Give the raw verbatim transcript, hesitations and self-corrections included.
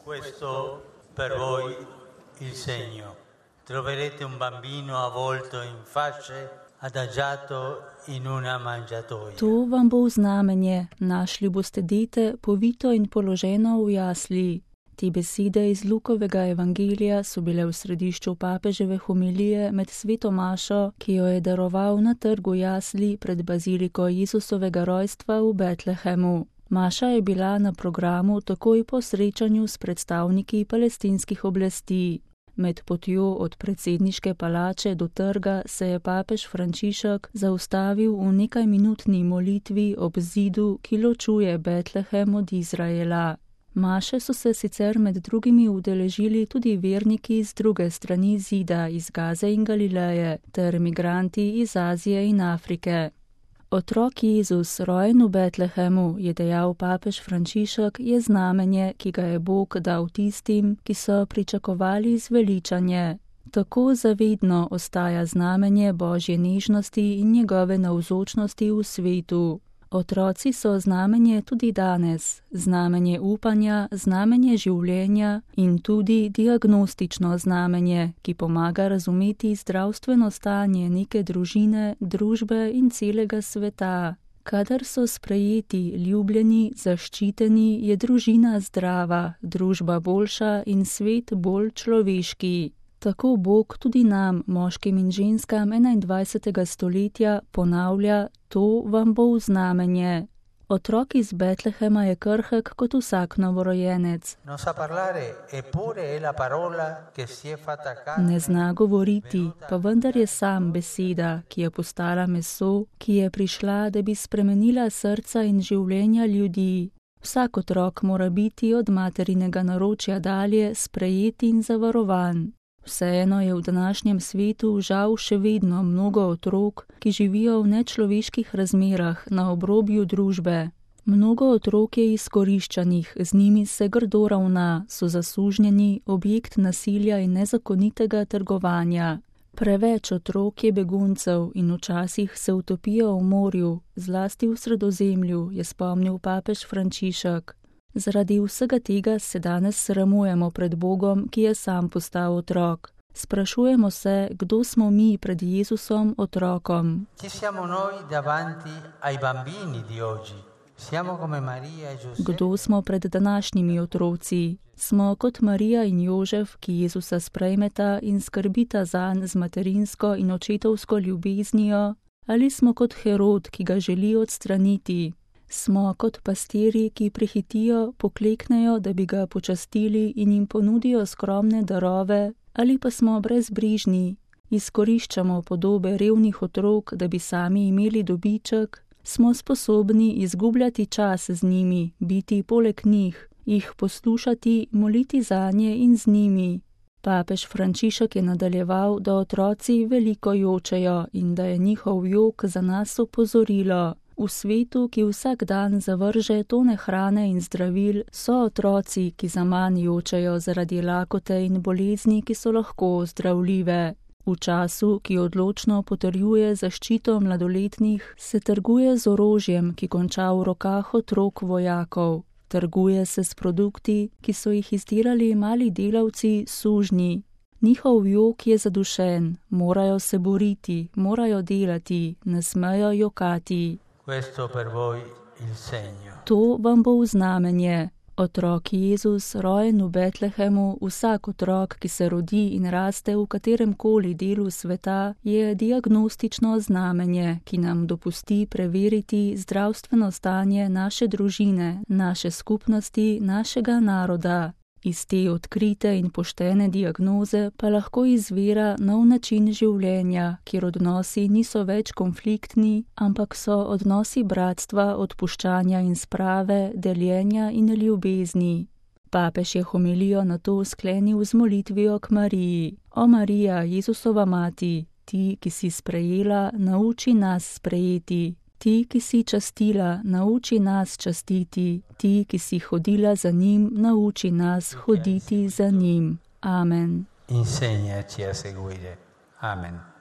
Questo per voi il segno. Troverete un bambino avvolto in fasce, adagiato in una mangiatoia. To vam bo znamenje, našli boste dete, povito in položeno v jasli. Te besede iz Lukovega evangelija so bile v središču papeževe homilije med sveto mašo, ki jo je daroval na trgu jasli pred baziliko Jezusovega rojstva v Betlehemu. Maša je bila na programu takoj po srečanju s predstavniki palestinskih oblasti. Med potjo od predsedniške palače do trga se je papež Frančišek zaustavil v nekajminutni molitvi ob zidu, ki ločuje Betlehem od Izraela. Maše so se sicer med drugimi udeležili tudi verniki z druge strani zida iz Gaze in Galileje ter migranti iz Azije in Afrike. Otrok Jezus, rojen v Betlehemu, je dejal papež Frančišek, je znamenje, ki ga je Bog dal tistim, ki so pričakovali zveličanje. Tako zavedno ostaja znamenje Božje nežnosti in njegove navzočnosti v svetu. Otroci so znamenje tudi danes, znamenje upanja, znamenje življenja in tudi diagnostično znamenje, ki pomaga razumeti zdravstveno stanje neke družine, družbe in celega sveta. Kadar so sprejeti, ljubljeni, zaščiteni, je družina zdrava, družba boljša in svet bolj človeški. Tako Bog tudi nam, moškim in ženskam enaindvajsetega stoletja, ponavlja, to vam bo v znamenje. Otrok iz Betlehema je krhek kot vsak novorojenec. Ne zna govoriti, pa vendar je sam beseda, ki je postala meso, ki je prišla, da bi spremenila srca in življenja ljudi. Vsak otrok mora biti od materinega naročja dalje sprejet in zavarovan. Vseeno je v današnjem svetu žal še vedno mnogo otrok, ki živijo v nečloveških razmerah na obrobju družbe. Mnogo otrok je izkoriščanih, z njimi se grdo ravna, so zasužnjeni, objekt nasilja in nezakonitega trgovanja. Preveč otrok je beguncev in včasih se utopijo v morju, zlasti v Sredozemlju, je spomnil papež Frančišek. Zaradi vsega tega se danes sramujemo pred Bogom, ki je sam postal otrok. Sprašujemo se, kdo smo mi pred Jezusom otrokom. Kdo smo pred današnjimi otroci? Smo kot Marija in Jožef, ki Jezusa sprejmeta in skrbita zanj z materinsko in očetovsko ljubeznijo, ali smo kot Herod, ki ga želi odstraniti? Smo kot pastirji, ki prehitijo, pokleknejo, da bi ga počastili in jim ponudijo skromne darove, ali pa smo brezbrižni, izkoriščamo podobe revnih otrok, da bi sami imeli dobiček, smo sposobni izgubljati čas z njimi, biti poleg njih, jih poslušati, moliti zanje in z njimi. Papež Frančišek je nadaljeval, da otroci veliko jočejo in da je njihov jok za nas opozorilo. V svetu, ki vsak dan zavrže tone hrane in zdravil, so otroci, ki zaman jočejo zaradi lakote in bolezni, ki so lahko zdravljive. V času, ki odločno potrjuje zaščito mladoletnih, se trguje z orožjem, ki konča v rokah otrok vojakov. Trguje se s produkti, ki so jih izdelali mali delavci, sužnji. Njihov jok je zadušen, morajo se boriti, morajo delati, ne smejo jokati. To vam bo v znamenje. Otrok Jezus, rojen v Betlehemu, vsak otrok, ki se rodi in raste v katerem koli delu sveta, je diagnostično znamenje, ki nam dopusti preveriti zdravstveno stanje naše družine, naše skupnosti, našega naroda. Iz te odkrite in poštene diagnoze pa lahko izvira nov način življenja, kjer odnosi niso več konfliktni, ampak so odnosi bratstva, odpuščanja in sprave, deljenja in ljubezni. Papež je homilijo nato sklenil z molitvijo k Mariji. O Marija, Jezusova mati, ti, ki si sprejela, nauči nas sprejeti. Ti, ki si častila, nauči nas častiti. Ti, ki si hodila za njim, nauči nas hoditi za njim. Amen. Insegnaci a seguire. Amen.